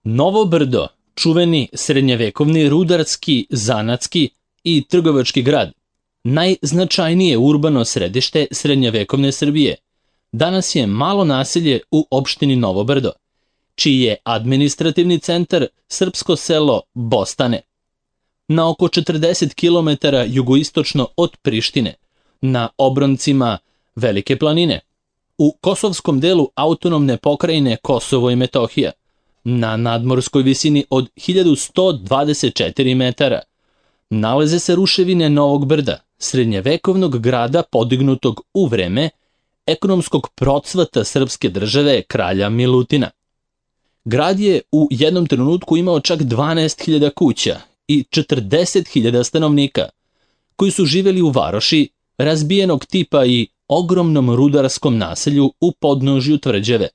Novo Brdo, čuveni srednjevekovni rudarski, zanatski i trgovački grad, najznačajnije urbano središte srednjevekovne Srbije, danas je malo naselje u opštini Novo Brdo, čiji je administrativni centar srpsko selo Bostane. Na oko 40 km jugoistočno od Prištine, na obroncima Velike planine, u kosovskom delu autonomne pokrajine Kosovo i Metohija, na nadmorskoj visini od 1124 metara, nalaze se ruševine Novog Brda, srednjevekovnog grada podignutog u vreme ekonomskog procvata srpske države kralja Milutina. Grad je u jednom trenutku imao čak 12.000 kuća i 40.000 stanovnika, koji su živjeli u varoši razbijenog tipa i ogromnom rudarskom naselju u podnožju tvrđave.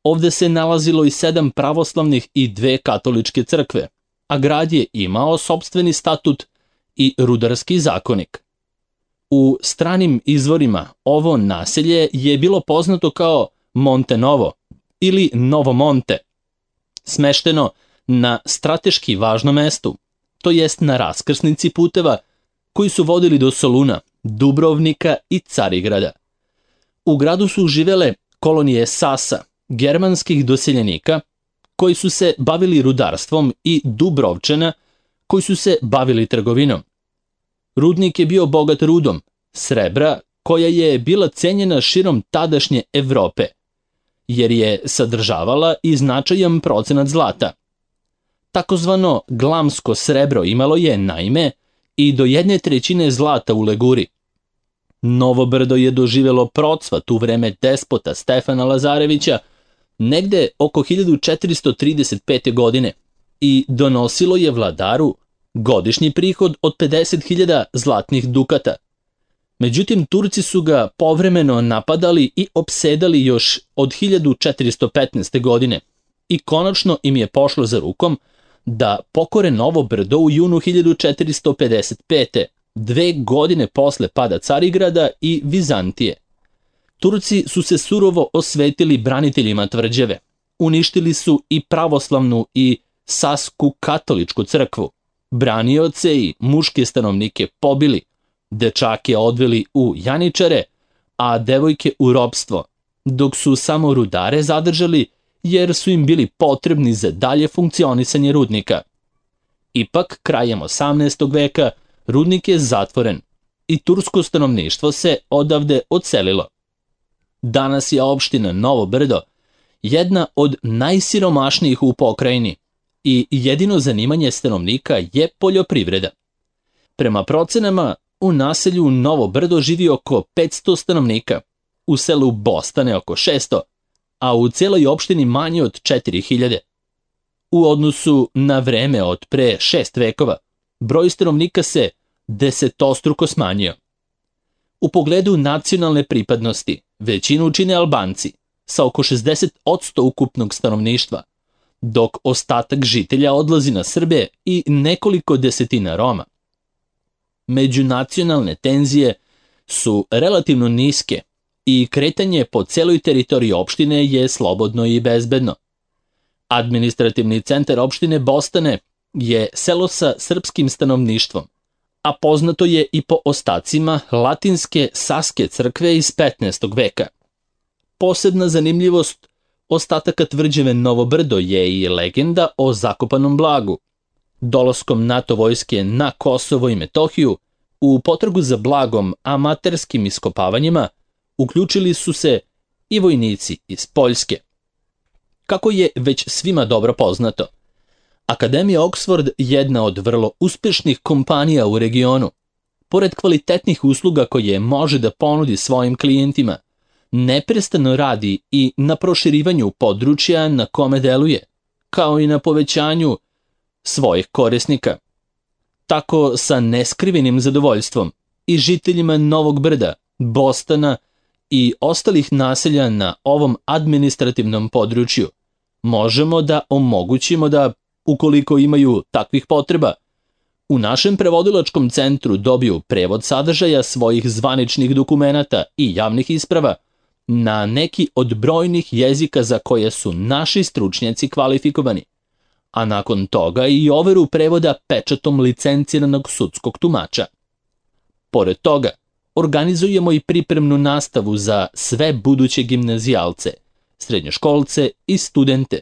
Ovde se nalazilo i 7 pravoslavnih i 2 katoličke crkve, a grad je imao sopstveni statut i rudarski zakonik. U stranim izvorima ovo naselje je bilo poznato kao Monte Novo ili Novo Monte, smešteno na strateški važnom mestu, to jest na raskrsnici puteva koji su vodili do Soluna, Dubrovnika i Carigrada. U gradu su živele kolonije Sasa, germanskih doseljenika, koji su se bavili rudarstvom, i Dubrovčana, koji su se bavili trgovinom. Rudnik je bio bogat rudom srebra, koja je bila cenjena širom tadašnje Evrope, jer je sadržavala i značajan procenat zlata. Takozvano glamsko srebro imalo je, naime, i do 1/3 zlata u leguri. Novo Brdo je doživjelo procvat u vreme despota Stefana Lazarevića negde oko 1435. godine i donosilo je vladaru godišnji prihod od 50.000 zlatnih dukata. Međutim, Turci su ga povremeno napadali i opsedali još od 1415. godine i konačno im je pošlo za rukom da pokore Novo Brdo u junu 1455. 2 godine posle pada Carigrada i Vizantije. Turci su se surovo osvetili braniteljima tvrđave. Uništili su i pravoslavnu i sasku katoličku crkvu. Branioce i muške stanovnike pobili, dečake odveli u janičare, a devojke u ropstvo, dok su samo rudare zadržali jer su im bili potrebni za dalje funkcionisanje rudnika. Ipak, krajem 18. veka, rudnik je zatvoren i tursko stanovništvo se odavde odselilo. Danas je opština Novo Brdo jedna od najsiromašnijih u pokrajini i jedino zanimanje stanovnika je poljoprivreda. Prema procenama, u naselju Novo Brdo živi oko 500 stanovnika, u selu Bostane oko 600, a u cijeloj opštini manje od 4.000. U odnosu na vreme od pre 6 vekova, broj stanovnika se desetostruko smanjio. U pogledu nacionalne pripadnosti, većinu čine Albanci, sa oko 60% ukupnog stanovništva, dok ostatak žitelja odlazi na Srbe i nekoliko desetina Roma. Međunacionalne tenzije su relativno niske i kretanje po celoj teritoriji opštine je slobodno i bezbedno. Administrativni centar opštine Bostane je selo sa srpskim stanovništvom, a poznato je i po ostacima latinske Saske crkve iz 15. veka. Posebna zanimljivost ostataka tvrđave Novo Brdo je i legenda o zakopanom blagu. Dolaskom NATO vojske na Kosovo i Metohiju, u potragu za blagom amaterskim iskopavanjima, uključili su se i vojnici iz Poljske. Kako je već svima dobro poznato, Akademija Oxford, jedna od vrlo uspešnih kompanija u regionu, pored kvalitetnih usluga koje može da ponudi svojim klijentima, neprestano radi i na proširivanju područja na kome deluje, kao i na povećanju svojih korisnika. Tako, sa neskrivenim zadovoljstvom, i žiteljima Novog Brda, Bostana i ostalih naselja na ovom administrativnom području možemo da omogućimo da, ukoliko imaju takvih potreba, u našem prevodilačkom centru dobiju prevod sadržaja svojih zvaničnih dokumenata i javnih isprava na neki od brojnih jezika za koje su naši stručnjaci kvalifikovani, a nakon toga i overu prevoda pečatom licenciranog sudskog tumača. Pored toga, organizujemo i pripremnu nastavu za sve buduće gimnazijalce, srednjoškolce i studente,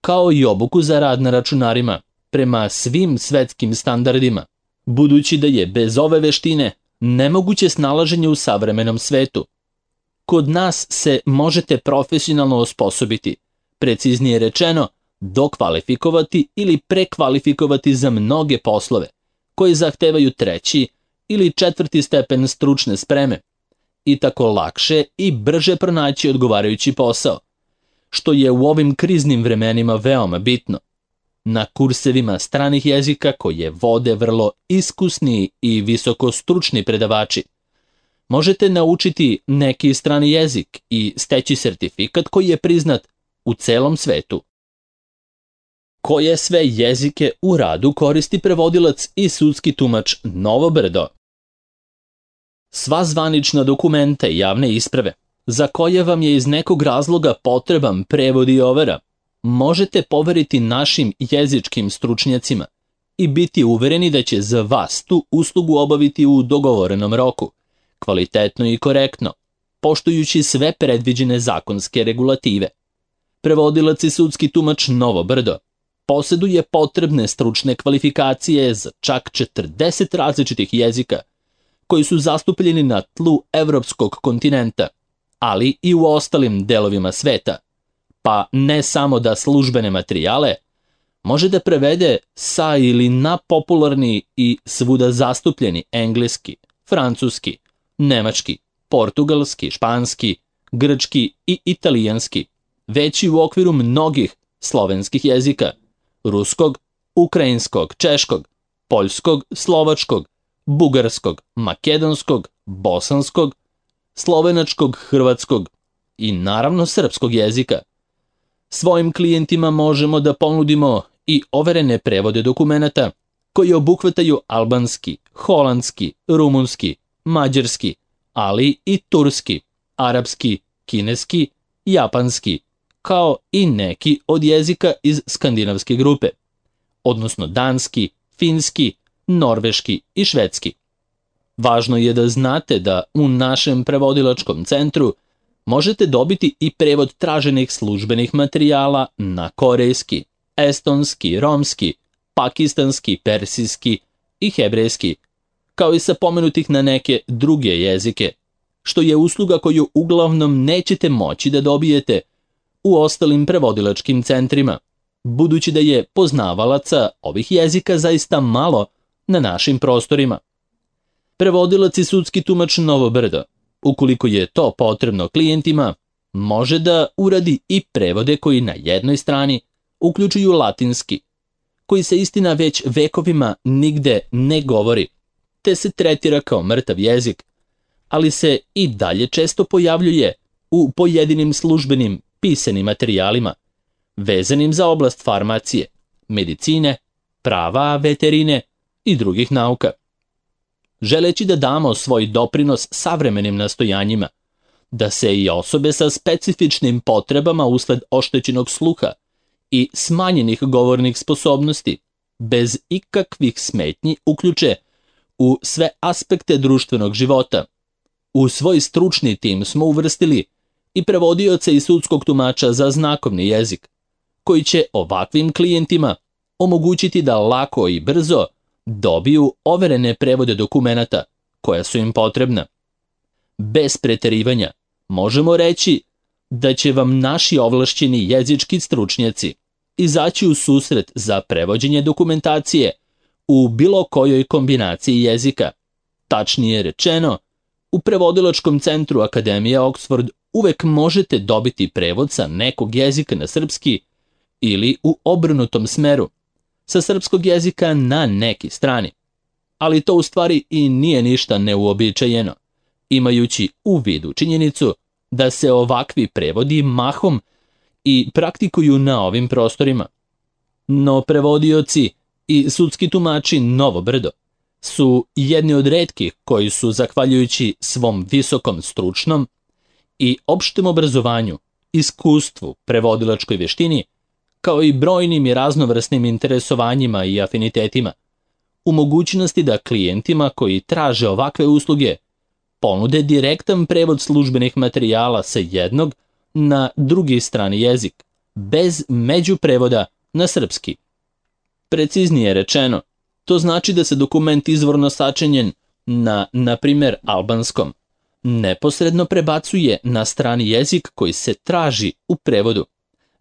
kao i obuku za rad na računarima prema svim svetskim standardima, budući da je bez ove veštine nemoguće snalaženje u savremenom svetu. Kod nas se možete profesionalno osposobiti, preciznije rečeno, dokvalifikovati ili prekvalifikovati za mnoge poslove, koji zahtevaju 3. ili 4. stepen stručne spreme, i tako lakše i brže pronaći odgovarajući posao, što je u ovim kriznim vremenima veoma bitno. Na kursevima stranih jezika koje vode vrlo iskusni i visokostručni predavači, možete naučiti neki strani jezik i steći sertifikat koji je priznat u celom svetu. Koje sve jezike u radu koristi prevodilac i sudski tumač Novo Brdo? Sva zvanična dokumenta i javne isprave, za koje vam je iz nekog razloga potreban prevod i overa, možete poveriti našim jezičkim stručnjacima i biti uvereni da će za vas tu uslugu obaviti u dogovorenom roku, kvalitetno i korektno, poštujući sve predviđene zakonske regulative. Prevodilac i sudski tumač Novo Brdo poseduje potrebne stručne kvalifikacije za čak 40 različitih jezika, koji su zastupljeni na tlu evropskog kontinenta, ali i u ostalim delovima sveta, pa ne samo da službene materijale može da prevede sa ili na popularni i svuda zastupljeni engleski, francuski, nemački, portugalski, španski, grčki i italijanski, već i u okviru mnogih slovenskih jezika, ruskog, ukrajinskog, češkog, poljskog, slovačkog, bugarskog, makedonskog, bosanskog, slovenačkog, hrvatskog i naravno srpskog jezika. Svojim klijentima možemo da ponudimo i overene prevode dokumenata koji obuhvataju albanski, holandski, rumunski, mađarski, ali i turski, arapski, kineski, japanski, kao i neki od jezika iz skandinavske grupe, odnosno danski, finski, norveški i švedski. Važno je da znate da u našem prevodilačkom centru možete dobiti i prevod traženih službenih materijala na korejski, estonski, romski, pakistanski, persijski i hebrejski, kao i sa pomenutih na neke druge jezike, što je usluga koju uglavnom nećete moći da dobijete u ostalim prevodilačkim centrima, budući da je poznavalaca ovih jezika zaista malo na našim prostorima. Prevodilac i sudski tumač Novo Brdo, ukoliko je to potrebno klijentima, može da uradi i prevode koji na jednoj strani uključuju latinski, koji se istina već vekovima nigde ne govori, te se tretira kao mrtav jezik, ali se i dalje često pojavljuje u pojedinim službenim pisanim materijalima, vezanim za oblast farmacije, medicine, prava, veterine i drugih nauka. Želeći da damo svoj doprinos savremenim nastojanjima, da se i osobe sa specifičnim potrebama usled oštećenog sluha i smanjenih govornih sposobnosti, bez ikakvih smetnji uključe u sve aspekte društvenog života. U svoj stručni tim smo uvrstili i prevodioce i sudskog tumača za znakovni jezik, koji će ovakvim klijentima omogućiti da lako i brzo dobiju overene prevode dokumenata koja su im potrebna. Bez preterivanja možemo reći da će vam naši ovlašćeni jezički stručnjaci izaći u susret za prevođenje dokumentacije u bilo kojoj kombinaciji jezika. Tačnije rečeno, u prevodilačkom centru Akademije Oxford uvek možete dobiti prevod sa nekog jezika na srpski ili u obrnutom smeru, sa srpskog jezika na neki strani. Ali to u stvari i nije ništa neuobičajeno, imajući u vidu činjenicu da se ovakvi prevodi mahom i praktikuju na ovim prostorima. No prevodioci i sudski tumači Novo Brdo su jedni od retkih koji su, zahvaljujući svom visokom stručnom i opštem obrazovanju, iskustvu, prevodilačkoj veštini, kao i brojnim i raznovrsnim interesovanjima i afinitetima, u mogućnosti da klijentima koji traže ovakve usluge ponude direktan prevod službenih materijala sa jednog na drugi strani jezik, bez međuprevoda na srpski. Preciznije rečeno, to znači da se dokument izvorno sačinjen na primjer, albanskom, neposredno prebacuje na strani jezik koji se traži u prevodu,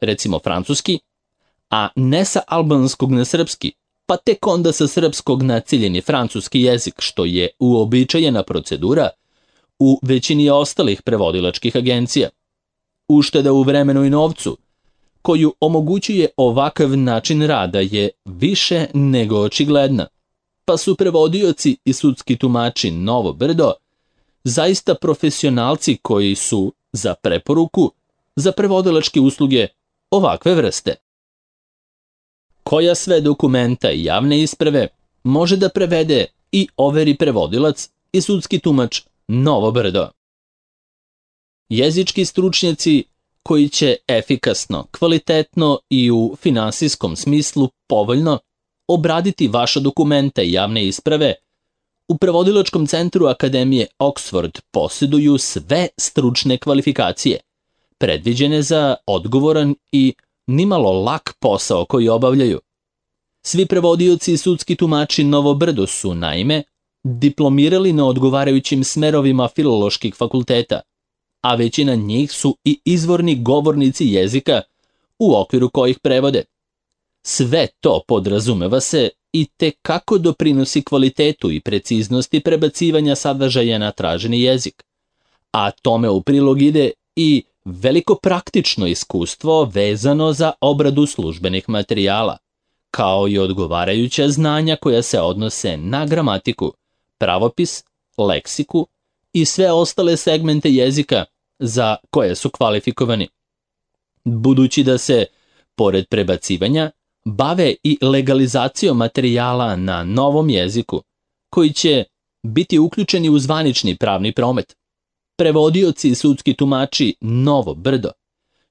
recimo francuski, a ne sa albanskog na srpski, pa tek onda sa srpskog na ciljeni francuski jezik, što je uobičajena procedura u većini ostalih prevodilačkih agencija. Ušteda u vremenu i novcu, koju omogućuje ovakav način rada, je više nego očigledna, pa su prevodioci i sudski tumači Novo Brdo zaista profesionalci koji su za preporuku za prevodilačke usluge ovakve vrste. Koja sve dokumenta i javne isprave može da prevede i overi prevodilac i sudski tumač Novo Brdo? Jezički stručnjaci koji će efikasno, kvalitetno i u finansijskom smislu povoljno obraditi vaša dokumenta i javne isprave, u prevodilačkom centru Akademije Oxford posjeduju sve stručne kvalifikacije, predviđene za odgovoran i nimalo lak posao koji obavljaju. Svi prevodioci i sudski tumači Novo Brdo su, naime, diplomirali na odgovarajućim smerovima filoloških fakulteta, a većina njih su i izvorni govornici jezika u okviru kojih prevode. Sve to, podrazumeva se, i te kako doprinosi kvalitetu i preciznosti prebacivanja sadržaja na traženi jezik, a tome u prilog ide i veliko praktično iskustvo vezano za obradu službenih materijala, kao i odgovarajuća znanja koja se odnose na gramatiku, pravopis, leksiku i sve ostale segmente jezika za koje su kvalifikovani. Budući da se, pored prebacivanja, bave i legalizacijom materijala na novom jeziku, koji će biti uključeni u zvanični pravni promet, prevodioci i sudski tumači Novo Brdo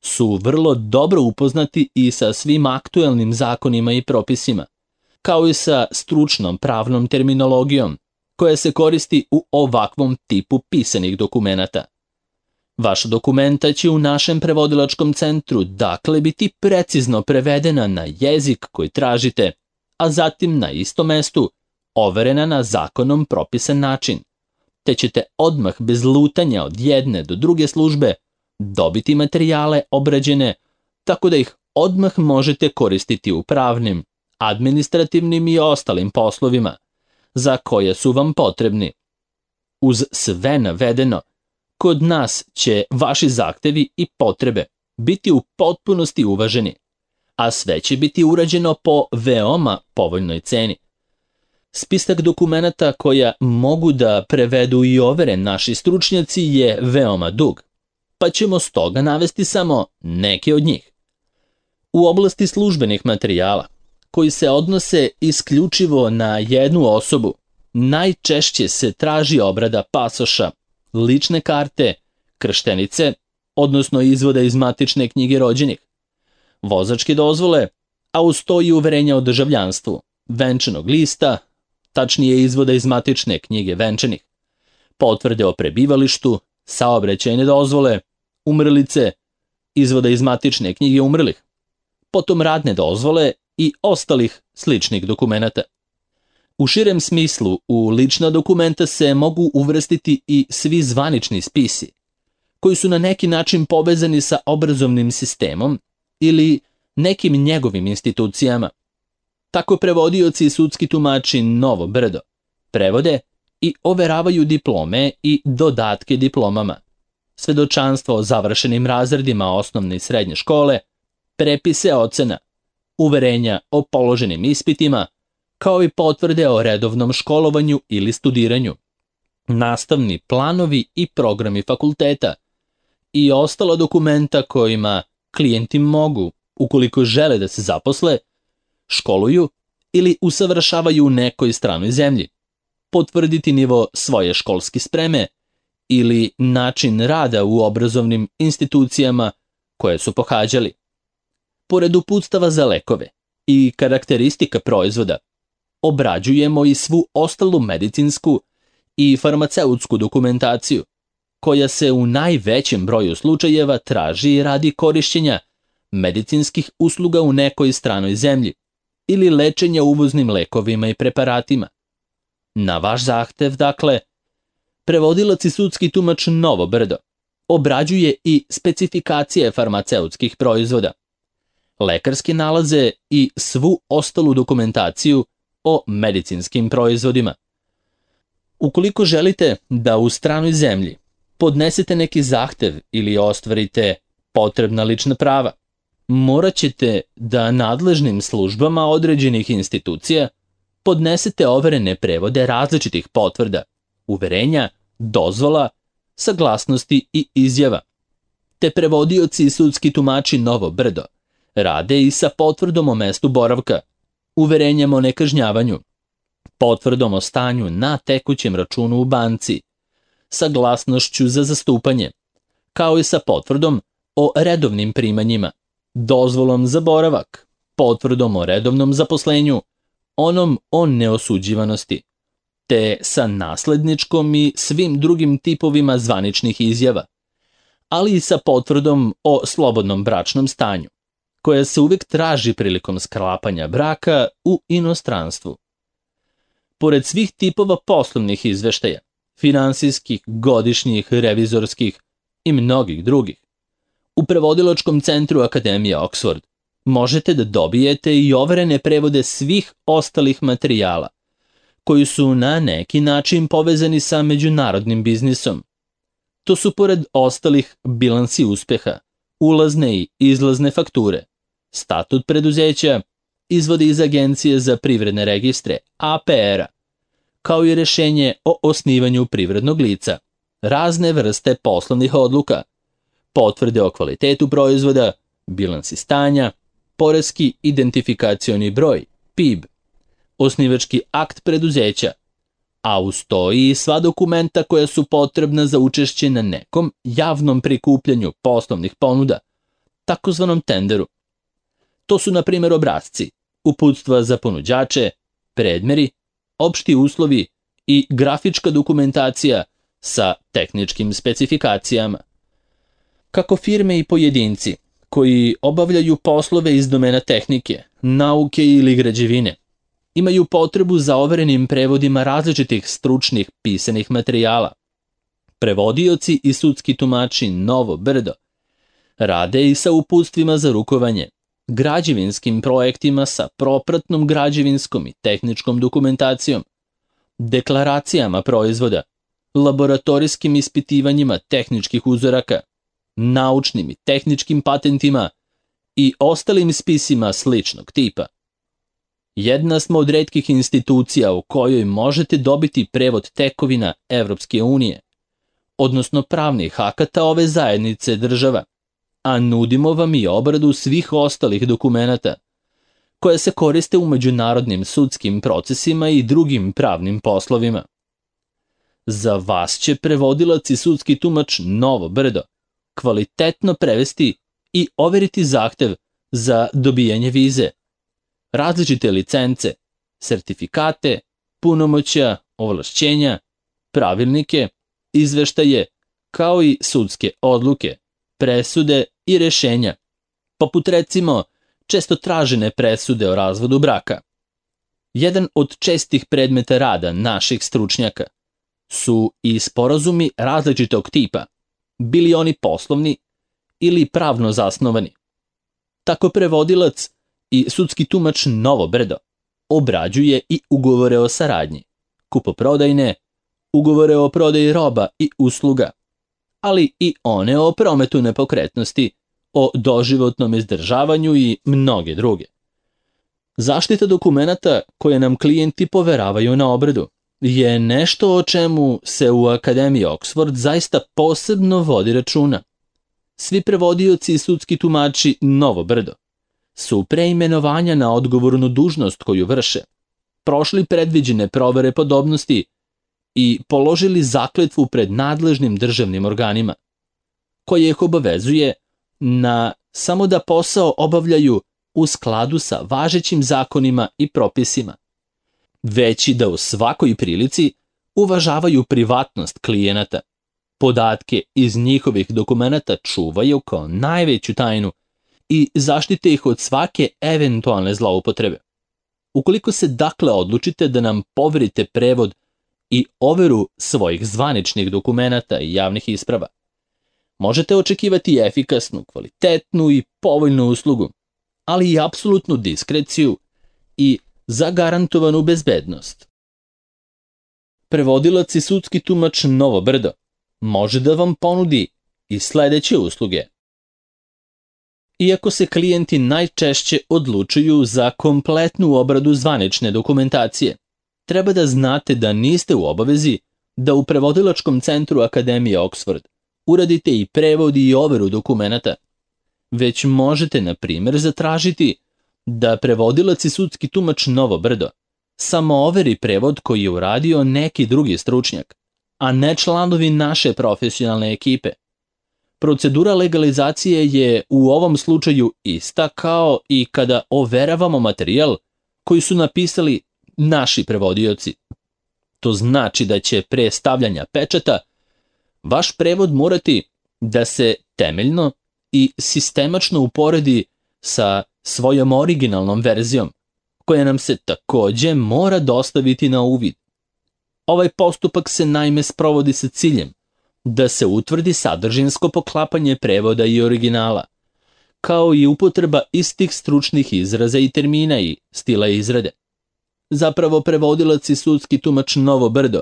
su vrlo dobro upoznati i sa svim aktuelnim zakonima i propisima, kao i sa stručnom pravnom terminologijom koja se koristi u ovakvom tipu pisanih dokumenata. Vaša dokumenta će u našem prevodilačkom centru dakle biti precizno prevedena na jezik koji tražite, a zatim na istom mestu overena na zakonom propisan način, te ćete odmah bez lutanja od jedne do druge službe dobiti materijale obrađene tako da ih odmah možete koristiti u pravnim, administrativnim i ostalim poslovima za koje su vam potrebni. Uz sve navedeno, kod nas će vaši zahtevi i potrebe biti u potpunosti uvaženi, a sve će biti urađeno po veoma povoljnoj ceni. Spisak dokumenata koja mogu da prevedu i overe naši stručnjaci je veoma dug, pa ćemo stoga navesti samo neke od njih. U oblasti službenih materijala, koji se odnose isključivo na jednu osobu, najčešće se traži obrada pasoša, lične karte, krštenice, odnosno izvoda iz matične knjige rođenih, vozačke dozvole, a uz to i uverenja o državljanstvu, venčanog lista, tačnije izvoda iz matične knjige venčanih, potvrde o prebivalištu, saobraćajne dozvole, umrlice, izvoda iz matične knjige umrlih, potom radne dozvole i ostalih sličnih dokumenata. U širem smislu, u lična dokumenta se mogu uvrstiti i svi zvanični spisi, koji su na neki način povezani sa obrazovnim sistemom ili nekim njegovim institucijama. Tako prevodioci i sudski tumači Novo Brdo prevode i overavaju diplome i dodatke diplomama, svedočanstvo o završenim razredima osnovne i srednje škole, prepise ocena, uverenja o položenim ispitima, kao i potvrde o redovnom školovanju ili studiranju, nastavni planovi i programi fakulteta i ostala dokumenta kojima klijenti mogu, ukoliko žele da se zaposle, školuju ili usavršavaju u nekoj stranoj zemlji, potvrditi nivo svoje školske spreme ili način rada u obrazovnim institucijama koje su pohađali. Pored uputstava za lekove i karakteristika proizvoda, obrađujemo i svu ostalu medicinsku i farmaceutsku dokumentaciju, koja se u najvećem broju slučajeva traži radi korišćenja medicinskih usluga u nekoj stranoj zemlji ili lečenja uvoznim lekovima i preparatima. Na vaš zahtev, dakle, prevodilac i sudski tumač Novo Brdo obrađuje i specifikacije farmaceutskih proizvoda, lekarske nalaze i svu ostalu dokumentaciju o medicinskim proizvodima. Ukoliko želite da u stranoj zemlji podnesete neki zahtev ili ostvarite potrebna lična prava, morat ćete da nadležnim službama određenih institucija podnesete overene prevode različitih potvrda, uverenja, dozvola, saglasnosti i izjava. Te prevodioci i sudski tumači Novo Brdo rade i sa potvrdom o mestu boravka, uverenjem o nekažnjavanju, potvrdom o stanju na tekućem računu u banci, saglasnošću za zastupanje, kao i sa potvrdom o redovnim primanjima, dozvolom za boravak, potvrdom o redovnom zaposlenju, onom o neosuđivanosti, te sa nasledničkom i svim drugim tipovima zvaničnih izjava, ali i sa potvrdom o slobodnom bračnom stanju, koja se uvek traži prilikom sklapanja braka u inostranstvu. Pored svih tipova poslovnih izveštaja, finansijskih, godišnjih, revizorskih i mnogih drugih, u prevodilačkom centru Akademije Oxford možete da dobijete i overene prevode svih ostalih materijala, koji su na neki način povezani sa međunarodnim biznisom. To su pored ostalih bilansi uspeha, ulazne i izlazne fakture, statut preduzeća, izvodi iz Agencije za privredne registre, APR-a, kao i rešenje o osnivanju privrednog lica, razne vrste poslovnih odluka, potvrde o kvalitetu proizvoda, bilansi stanja, poreski identifikacioni broj, PIB, osnivački akt preduzeća, a uz to i sva dokumenta koja su potrebna za učešće na nekom javnom prikupljanju poslovnih ponuda, takozvanom tenderu. To su, na primjer, obrasci, uputstva za ponuđače, predmeri, opšti uslovi i grafička dokumentacija sa tehničkim specifikacijama. Kako firme i pojedinci koji obavljaju poslove iz domena tehnike, nauke ili građevine, imaju potrebu za overenim prevodima različitih stručnih pisanih materijala, prevodioci i sudski tumači Novo Brdo rade i sa uputstvima za rukovanje, građevinskim projektima sa propratnom građevinskom i tehničkom dokumentacijom, deklaracijama proizvoda, laboratorijskim ispitivanjima tehničkih uzoraka, naučnim i tehničkim patentima i ostalim spisima sličnog tipa. Jedna smo od retkih institucija u kojoj možete dobiti prevod tekovina Evropske unije, odnosno pravnih akata ove zajednice država, a nudimo vam i obradu svih ostalih dokumenata, koje se koriste u međunarodnim sudskim procesima i drugim pravnim poslovima. Za vas će prevodilac i sudski tumač Novo Brdo kvalitetno prevesti i overiti zahtev za dobijanje vize, različite licence, sertifikate, punomoćja, ovlašćenja, pravilnike, izveštaje, kao i sudske odluke, presude i rešenja, poput recimo često tražene presude o razvodu braka. Jedan od čestih predmeta rada naših stručnjaka su i sporazumi različitog tipa, bili oni poslovni ili pravno zasnovani. Tako prevodilac i sudski tumač Novo Brdo obrađuje i ugovore o saradnji, kupoprodajne, ugovore o prodaji roba i usluga, ali i one o prometu nepokretnosti, o doživotnom izdržavanju i mnoge druge. Zaštita dokumenata koje nam klijenti poveravaju na obradu je nešto o čemu se u Akademiji Oxford zaista posebno vodi računa. Svi prevodioci i sudski tumači Novo Brdo su pre imenovanja na odgovornu dužnost koju vrše prošli predviđene provere podobnosti i položili zakletvu pred nadležnim državnim organima, koje ih obavezuje na samo da posao obavljaju u skladu sa važećim zakonima i propisima, već i da u svakoj prilici uvažavaju privatnost klijenata, podatke iz njihovih dokumenata čuvaju kao najveću tajnu i zaštite ih od svake eventualne zloupotrebe. Ukoliko se dakle odlučite da nam poverite prevod i overu svojih zvaničnih dokumenata i javnih isprava, možete očekivati efikasnu, kvalitetnu i povoljnu uslugu, ali i apsolutnu diskreciju i zagarantovanu bezbednost. Prevodilac i sudski tumač Novo Brdo može da vam ponudi i sledeće usluge. Iako se klijenti najčešće odlučuju za kompletnu obradu zvanične dokumentacije, treba da znate da niste u obavezi da u prevodilačkom centru Akademije Oxford uradite i prevod i overu dokumenata, već možete, na primjer, zatražiti da prevodilac i sudski tumač Novo Brdo samo overi prevod koji je uradio neki drugi stručnjak, a ne članovi naše profesionalne ekipe. Procedura legalizacije je u ovom slučaju ista kao i kada overavamo materijal koji su napisali naši prevodioci. To znači da će pre stavljanja pečata vaš prevod morati da se temeljno i sistemačno uporedi sa svojom originalnom verzijom, koja nam se takođe mora dostaviti na uvid. Ovaj postupak se naime sprovodi sa ciljem da se utvrdi sadržinsko poklapanje prevoda i originala, kao i upotreba istih stručnih izraza i termina i stila izrade. Zapravo, prevodilac i sudski tumač Novo Brdo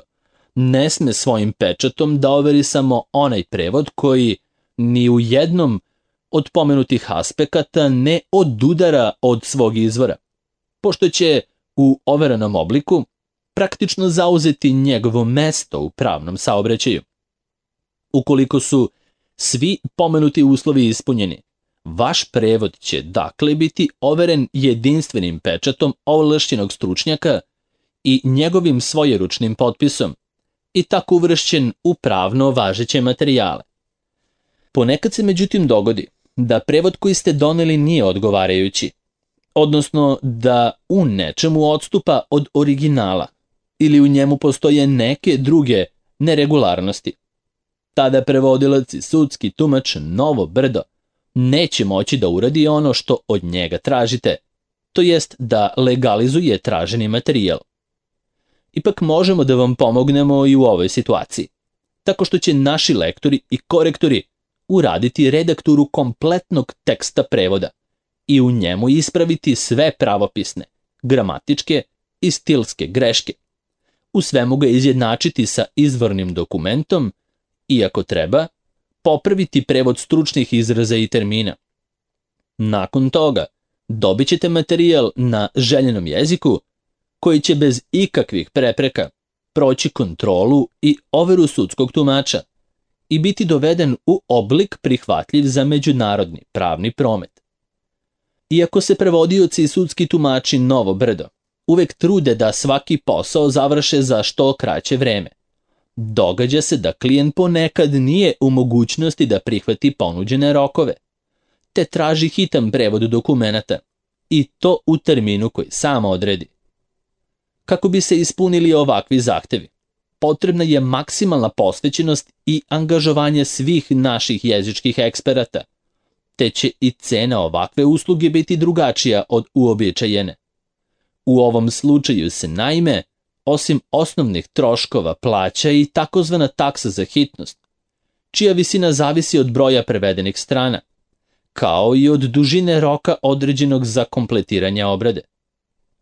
ne sme svojim pečatom da overi samo onaj prevod koji ni u jednom od pomenutih aspekata ne odudara od svog izvora, pošto će u overenom obliku praktično zauzeti njegovo mesto u pravnom saobraćaju. Ukoliko su svi pomenuti uslovi ispunjeni, vaš prevod će dakle biti overen jedinstvenim pečatom ovlašćenog stručnjaka i njegovim svojeručnim potpisom i tako uvršćen u pravno važeće materijale. Ponekad se međutim dogodi da prevod koji ste doneli nije odgovarajući, odnosno da u nečemu odstupa od originala ili u njemu postoje neke druge neregularnosti. Tada prevodilac i sudski tumač Novo Brdo neće moći da uradi ono što od njega tražite, to jest da legalizuje traženi materijal. Ipak možemo da vam pomognemo i u ovoj situaciji, tako što će naši lektori i korektori uraditi redakturu kompletnog teksta prevoda i u njemu ispraviti sve pravopisne, gramatičke i stilske greške. U svemu ga izjednačiti sa izvornim dokumentom i, ako treba, popraviti prevod stručnih izraza i termina. Nakon toga dobit ćete materijal na željenom jeziku koji će bez ikakvih prepreka proći kontrolu i overu sudskog tumača i biti doveden u oblik prihvatljiv za međunarodni pravni promet. Iako se prevodioci i sudski tumači Novo Brdo uvek trude da svaki posao završe za što kraće vreme, događa se da klijent ponekad nije u mogućnosti da prihvati ponuđene rokove, te traži hitan prevod dokumenata i to u terminu koji sam odredi. Kako bi se ispunili ovakvi zahtevi, potrebna je maksimalna posvećenost i angažovanje svih naših jezičkih eksperata, te će i cena ovakve usluge biti drugačija od uobičajene. U ovom slučaju se naime, osim osnovnih troškova, plaća i takozvana taksa za hitnost, čija visina zavisi od broja prevedenih strana, kao i od dužine roka određenog za kompletiranje obrade.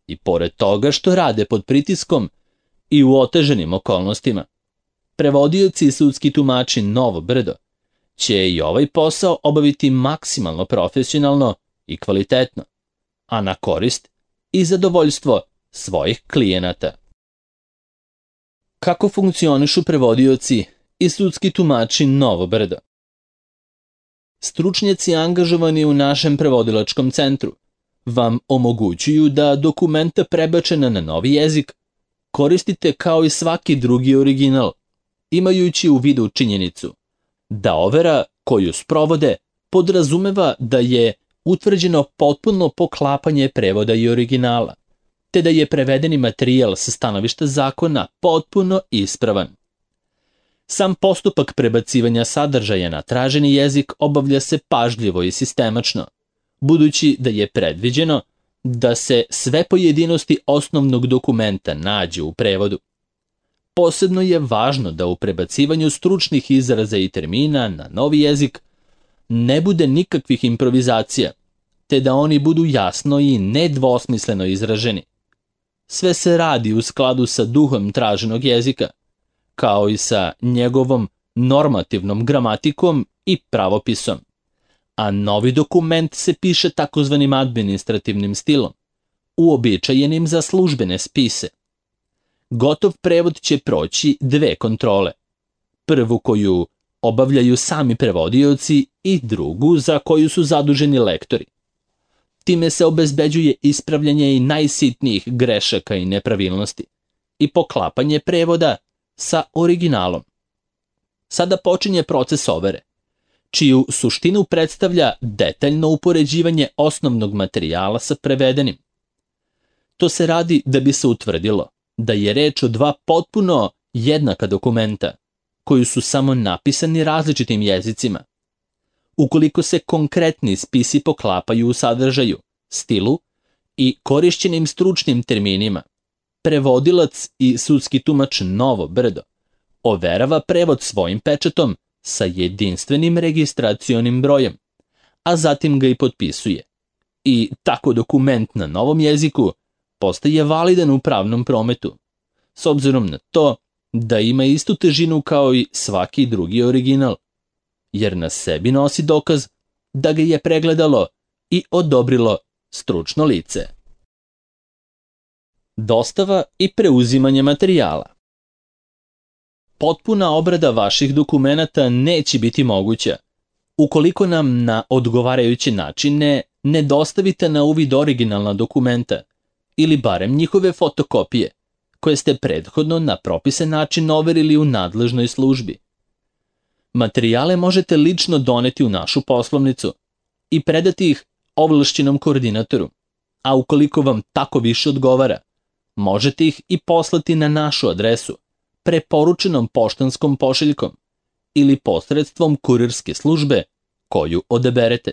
I pored toga što rade pod pritiskom i u oteženim okolnostima, prevodioci i sudski tumači Novo Brdo će i ovaj posao obaviti maksimalno profesionalno i kvalitetno, a na korist i zadovoljstvo svojih klijenata. Kako funkcionišu prevodioci i sudski tumači Novo Brdo? Stručnjaci angažovani u našem prevodilačkom centru vam omogućuju da dokumenta prebačena na novi jezik koristite kao i svaki drugi original, imajući u vidu činjenicu da overa koju sprovode podrazumeva da je utvrđeno potpuno poklapanje prevoda i originala, te da je prevedeni materijal sa stanovišta zakona potpuno ispravan. Sam postupak prebacivanja sadržaja na traženi jezik obavlja se pažljivo i sistemačno, budući da je predviđeno da se sve pojedinosti osnovnog dokumenta nađu u prevodu. Posebno je važno da u prebacivanju stručnih izraza i termina na novi jezik ne bude nikakvih improvizacija, te da oni budu jasno i nedvosmisleno izraženi. Sve se radi u skladu sa duhom traženog jezika, kao i sa njegovom normativnom gramatikom i pravopisom, a novi dokument se piše takozvanim administrativnim stilom, uobičajenim za službene spise. Gotov prevod će proći dve kontrole. Prvu koju obavljaju sami prevodioci i drugu za koju su zaduženi lektori. Time se obezbeđuje ispravljanje i najsitnijih grešaka i nepravilnosti i poklapanje prevoda sa originalom. Sada počinje proces overe, čiju suštinu predstavlja detaljno upoređivanje osnovnog materijala sa prevedenim. To se radi da bi se utvrdilo da je reč o dva potpuno jednaka dokumenta, koji su samo napisani različitim jezicima. Ukoliko se konkretni spisi poklapaju u sadržaju, stilu i korišćenim stručnim terminima, prevodilac i sudski tumač Novo Brdo overava prevod svojim pečatom sa jedinstvenim registracionim brojem, a zatim ga i potpisuje. I tako dokument na novom jeziku postaje validan u pravnom prometu, s obzirom na to da ima istu težinu kao i svaki drugi original, jer na sebi nosi dokaz da ga je pregledalo i odobrilo stručno lice. Dostava i preuzimanje materijala. Potpuna obrada vaših dokumenata neće biti moguća ukoliko nam na odgovarajuće načine ne dostavite na uvid originalna dokumenta ili barem njihove fotokopije, koje ste prethodno na propisan način overili u nadležnoj službi. Materijale možete lično doneti u našu poslovnicu i predati ih ovlašćenom koordinatoru, a ukoliko vam tako više odgovara, možete ih i poslati na našu adresu, preporučenom poštanskom pošiljkom ili posredstvom kurirske službe koju odaberete.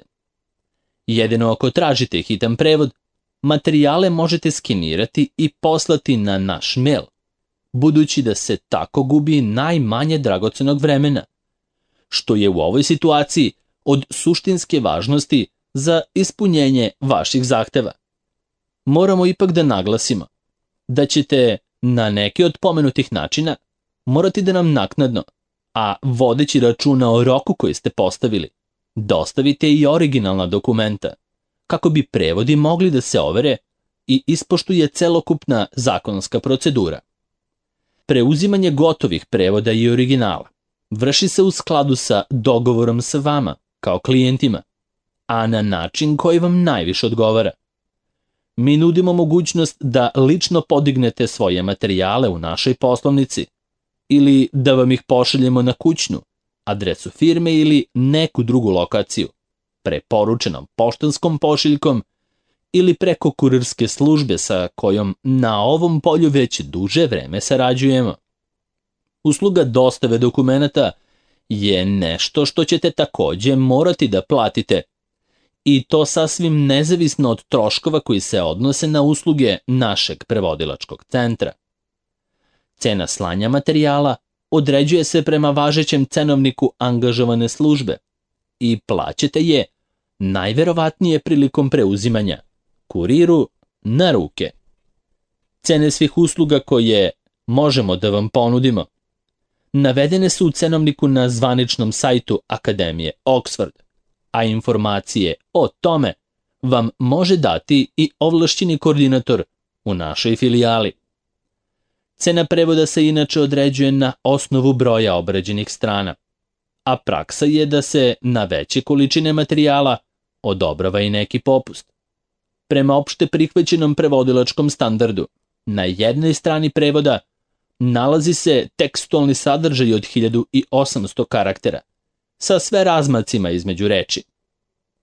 Jedino ako tražite hitan prevod, materijale možete skenirati i poslati na naš mail, budući da se tako gubi najmanje dragocenog vremena, što je u ovoj situaciji od suštinske važnosti za ispunjenje vaših zahteva. Moramo ipak da naglasimo da ćete na neki od pomenutih načina morati da nam naknadno, a vodeći računa o roku koji ste postavili, dostavite i originalna dokumenta, kako bi prevodi mogli da se overe i ispoštuje celokupna zakonska procedura. Preuzimanje gotovih prevoda i originala vrši se u skladu sa dogovorom sa vama, kao klijentima, a na način koji vam najviše odgovara. Mi nudimo mogućnost da lično podignete svoje materijale u našoj poslovnici ili da vam ih pošaljemo na kućnu, adresu firme ili neku drugu lokaciju, preporučenom poštanskom pošiljkom ili preko kurirske službe sa kojom na ovom polju već duže vreme sarađujemo. Usluga dostave dokumenata je nešto što ćete takođe morati da platite, i to sasvim nezavisno od troškova koji se odnose na usluge našeg prevodilačkog centra. Cena slanja materijala određuje se prema važećem cenovniku angažovane službe i plaćate je najverovatnije prilikom preuzimanja, kuriru na ruke. Cene svih usluga koje možemo da vam ponudimo navedene su u cenovniku na zvaničnom sajtu Akademije Oxford, a informacije o tome vam može dati i ovlašćeni koordinator u našoj filijali. Cena prevoda se inače određuje na osnovu broja obrađenih strana, a praksa je da se na veće količine materijala odobrava i neki popust. Prema opšte prihvaćenom prevodilačkom standardu, na jednoj strani prevoda nalazi se tekstualni sadržaj od 1800 karaktera, sa sve razmacima između reči,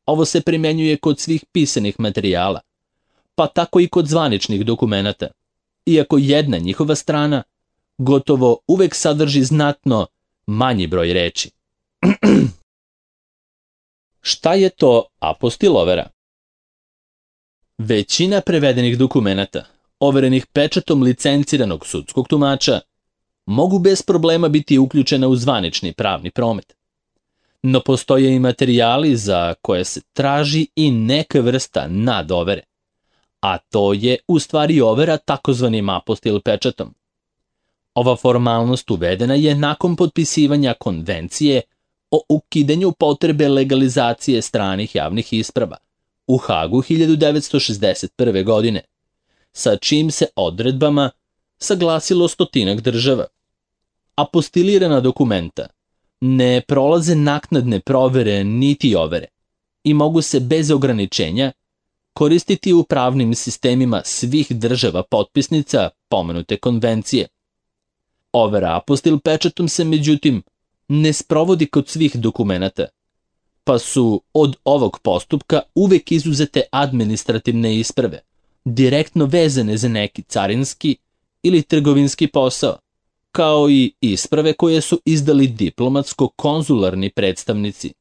Ovo se primenjuje kod svih pisanih materijala, pa tako i kod zvaničnih dokumenata, iako jedna njihova strana gotovo uvek sadrži znatno manji broj reči. Šta je to apostil overa? Većina prevedenih dokumenata, overenih pečatom licenciranog sudskog tumača, mogu bez problema biti uključena u zvanični pravni promet. No postoje i materijali za koje se traži i neka vrsta nadovere, a to je u stvari overa takozvanim apostil pečatom. Ova formalnost uvedena je nakon potpisivanja konvencije o ukidanju potrebe legalizacije stranih javnih isprava u Hagu 1961. godine, sa čim se odredbama saglasilo 100 država. Apostilirana dokumenta ne prolaze naknadne provere niti overe i mogu se bez ograničenja koristiti u pravnim sistemima svih država potpisnica pomenute konvencije. Overa apostil pečatom se, međutim, ne sprovodi kod svih dokumenata, pa su od ovog postupka uvek izuzete administrativne isprave, direktno vezane za neki carinski ili trgovinski posao, kao i isprave koje su izdali diplomatsko-konzularni predstavnici.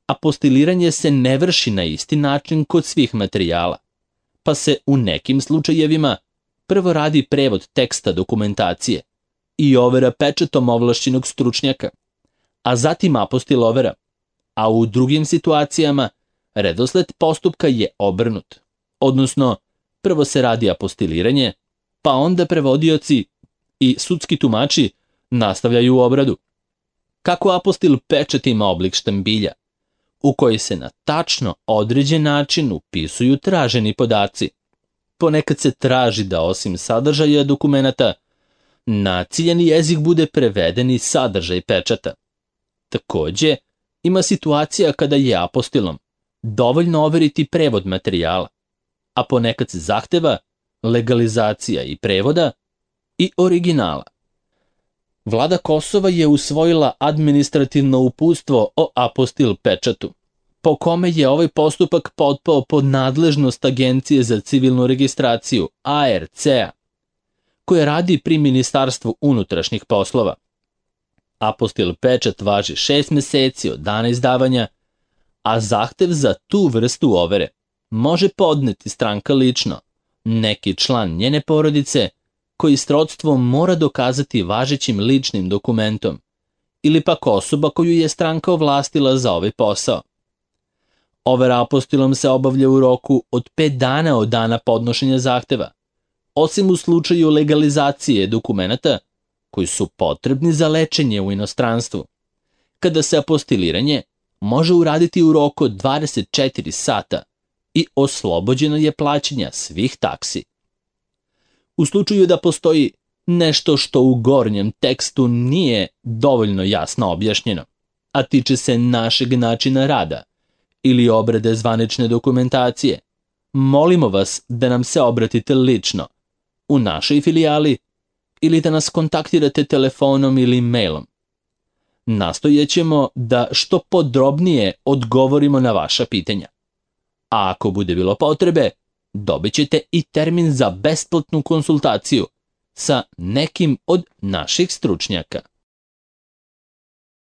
Apostiliranje se ne vrši na isti način kod svih materijala, pa se u nekim slučajevima prvo radi prevod teksta dokumentacije i overa pečatom ovlašćenog stručnjaka, a zatim apostil overa, a u drugim situacijama redosled postupka je obrnut, odnosno prvo se radi apostiliranje, pa onda prevodioci i sudski tumači nastavljaju obradu. Kako apostil pečat ima oblik štambilja, u koji se na tačno određen način upisuju traženi podaci. Ponekad se traži da osim sadržaja dokumenata, na ciljani jezik bude preveden i sadržaj pečata. Takođe, ima situacija kada je apostilom dovoljno overiti prevod materijala, a ponekad se zahteva legalizacija i prevoda i originala. Vlada Kosova je usvojila administrativno uputstvo o apostil pečatu, po kome je ovaj postupak potpao pod nadležnost Agencije za civilnu registraciju, ARC-a, koje radi pri Ministarstvu unutrašnjih poslova. Apostil pečat važi 6 meseci od dana izdavanja, a zahtev za tu vrstu overe može podneti stranka lično, neki član njene porodice koji srodstvo mora dokazati važećim ličnim dokumentom, ili pak osoba koju je stranka ovlastila za ovaj posao. Overa apostilom se obavlja u roku od 5 dana od dana podnošenja zahteva, osim u slučaju legalizacije dokumenata koji su potrebni za lečenje u inostranstvu, kada se apostiliranje može uraditi u roku od 24 sata i oslobođeno je plaćanja svih taksi. U slučaju da postoji nešto što u gornjem tekstu nije dovoljno jasno objašnjeno, a tiče se našeg načina rada ili obrade zvanične dokumentacije, molimo vas da nam se obratite lično u našoj filijali ili da nas kontaktirate telefonom ili mailom. Nastojećemo da što podrobnije odgovorimo na vaša pitanja. A ako bude bilo potrebe, dobit ćete i termin za besplatnu konsultaciju sa nekim od naših stručnjaka.